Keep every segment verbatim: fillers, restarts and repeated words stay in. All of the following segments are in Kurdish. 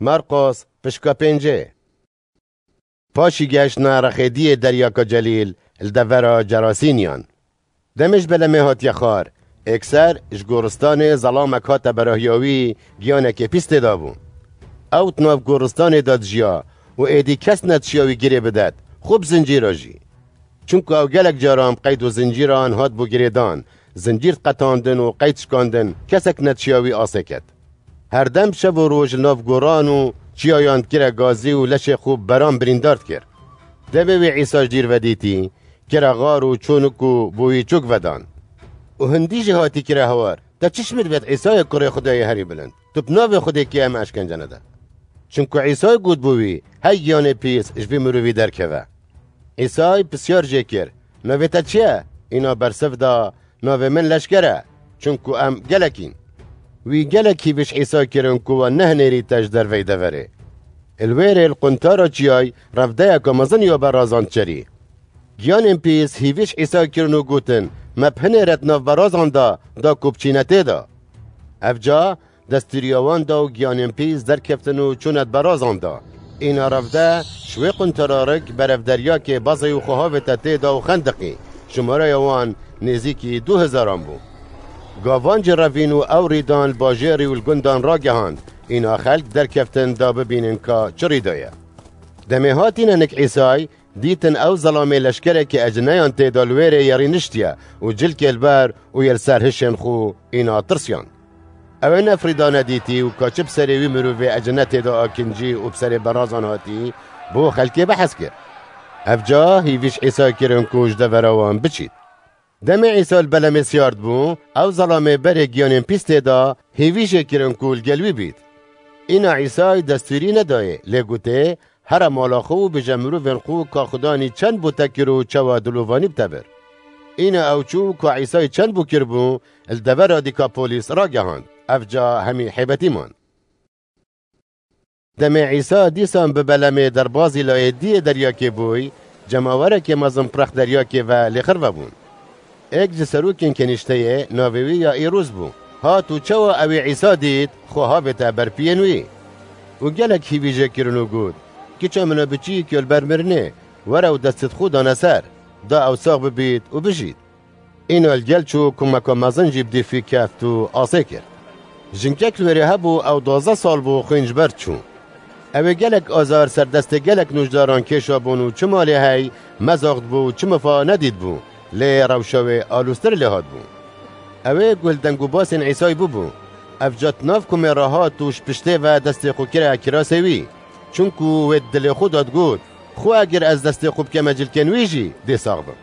Marqos, pişka pêncê. Paşî geştine rexê diyê Deryaka Celîl, li devera Cerasîniyan. Demê ji belemê hatiye xwar, êkser ji goristanê zelamek hate berahiya wî, giyanekê pîs tê de bû. Ew di nav goristanê de dijiya û êdî kes nedişiya wî girê bidet, xwe bi zincîra jî. Çunku ew gelek caran bi qeyd û zincîran hatibû girêdan, zincîr diqetandin û qeyd dişkandin, kesek nedişiya wî asê ket. Herdem şev û roj li nav goran û çiyayan dikire gazî û leşê xwe bi beran birîndar dikir. Demê wî Îsa ji dîr ve dîtî, kire xar û çû nik û bo wî çûk vedan. Û hindî jî hatî kire hewar, Te çi ji min divêt Îsayê kurê Xwedayê herî bilind? Tu bi navê Xwedê kê em eşkence nede? Çunku Îsay got bo wî, Hey giyanê pîs, ji vî mirovî derkeve. Îsay pisyar jê kir, Navê te çi ye? Îna bersiv da, Navê min Leşker e, çunku em gelek în. Wî gelek hîvî ji Îsay kirin ku wan nehinêrîte ji derveyî deverê. Li wê rê li quntara çiyay revdeyeke mezin ya berazan diçerî. Giyanên pîs hîvî ji Îsay kirin û gotin, Me bihinêre di nav berazan de, da ku biçîne tê de. Evca destûriya wan da û giyanên pîs derkeftin û çûne di berazan de. Îna revde ji wê quntara rik berev deryakê bezê û xwe havête tê de û xendiqî. Jimareya wan nêzîkî du hezaran bû. Gavan jî revîn û ew rîdan li bajêrî û li gundan ragehand. Îna xelk derkeftin da bibînin ka çi rî daye. Demê hatîne nik Îsay, dîtin ew zelamê leşkerekî ecineyan tê de li wê rê yerî niştiye û cilkê li ber û yê li ser hişên xwe, îna tirsiyan. Ew ê nefrîdane dîtî û ka çi bi serê wî mirovê ecine tê de akincî û bi serê berazan hatî, bo xelkê behs kir. Evca hîvî ji Îsay kirin ku ji devera wan biçît. Demê Îsa li belemê siyar dibû, ew zelamê berê giyanên pîs tê de, hêvî jê kirin ku li gel wî bît. Îna Îsay destûrî nedayê, lê gotê, Here mala xwe û bêje mirovên xwe ka Xudanî çend bo te kir û çawa dilovanî bi te bir. Îna ew çû ka Îsay çend bo kiribû, li devera Dîkapolîs ragehand. Evca hemî hêbetî man. Demê Îsa dîsan bi belemê derbazî layê diyê deryakê bûy, cemawerekê mezin bi rex deryakê ve lêxir vebûn. Êk ji serokên kenîşteyê, navê wî Yaîrûs bû, hat û çawa ew ê Îsa dît, xwe havête ber piyên wî. Û gelek hîvî jê kirin û got, Kiça min a biçîk ya li ber mirinê, were û destê xwe dane ser, da ew sax bibît û bijît. Îna li gel çû, kumeka mezin jî bi dîfî keft û asê kir. Jinkek li wêrê hebû, ew duwazdeh sal bû xwîn ji ber çû. Ew ê gelek azar ser destê gelek nûjdaran kêşabûn û çi malê hey mezax dibû û çi mifa nedîtbû, lê rewşa wê alûstir lê hatibû. Ew ê guh li deng û basên Îsay bûbû. Ev ca di nav kumê re hat û ji piştê ve destê xwe kire kirasê wî. Çunku wê di dilê xwe de digot, Xwe eger ez destê xwe bikeme cilkên wî jî, dê sax bim.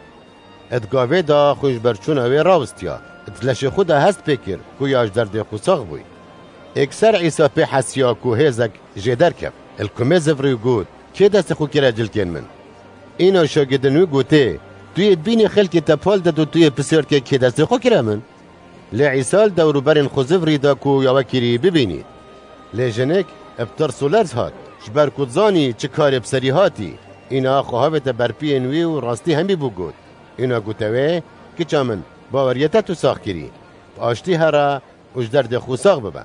Di gavê de xwe ji ber çûna wê rawistiya, di leşê xwe de hest pê kir ku ya ji derdê xwe sax bûyî. Êkser Îsa pê hesiya ku hêzek jê derkeft, li kumê zivirî û got, Kê destê xwe kire cilkên min? Îna şagidên wî gotê, Tu yê dibînî xelkê te pal did û tu yê pisyar dikê kê destê xwe kire min? Lê Îsa li dewrûberên xwe zivirî da ku ya wekirî bibînît. Lê jinik bi tirs û lerz hat, ji ber ku dizanî çi karê bi serî hatî, îna xwe havête ber piyên wî û rastî hemî bû got. Îna gote wê, Kiça min, baweriyê te tu sax kirî. Bi aştî here û ji derdê xwe sax bibe.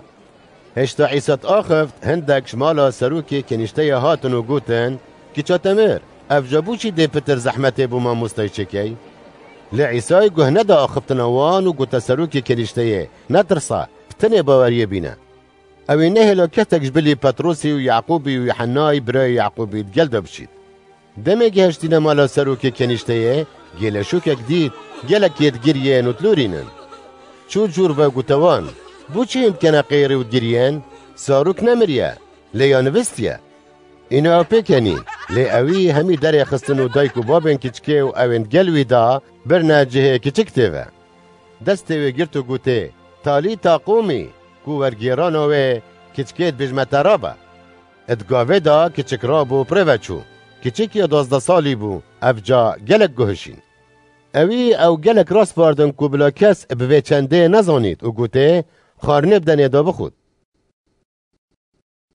Hêşta Îsa diaxift, hindek ji mala serokê kenîşteyê hatin û gotin, Kiça te mir, ev ca bo çi dê pitir zehmetê bo mamostayî çêkey? Lê Îsay guh neda axiftina wan û gote serokê kenîşteyê, Netirse, bi tenê baweriyê bîne. Ew ê nehêla kesek ji bilî Petrosî û Yaqûbî û Yuhennayî birayê Yaqûbî di gel de biçît. Demê gihiştîne mala serokê kenîşteyê, gêleşokek dît, gelek yê digiriyên û dilorînin. Çû cûr ve gote wan, Bo çi hîn dikene qêrî û digiriyên? Zarok nemiriye, lê ya nivistiye. Îna ew pê kenî, lê ewî hemî derê xistin û dayik û babên kiçikê û ewên gel wî da birine cihê kiçik tê ve. Destê wê girt û gotê, Talîta qûmî, ku wergêrana wê, Kiçikê dibêjme te rabe. Di gavê de kiçik rabû û bi rê ve çû. Kiçik ya duwazdeh salî bû, ev ca gelek guhişîn. Ewî ew gelek raspardin ku bila kes bi vê çendê nezanît û gotê, Xwarinê bidenê da bixwit.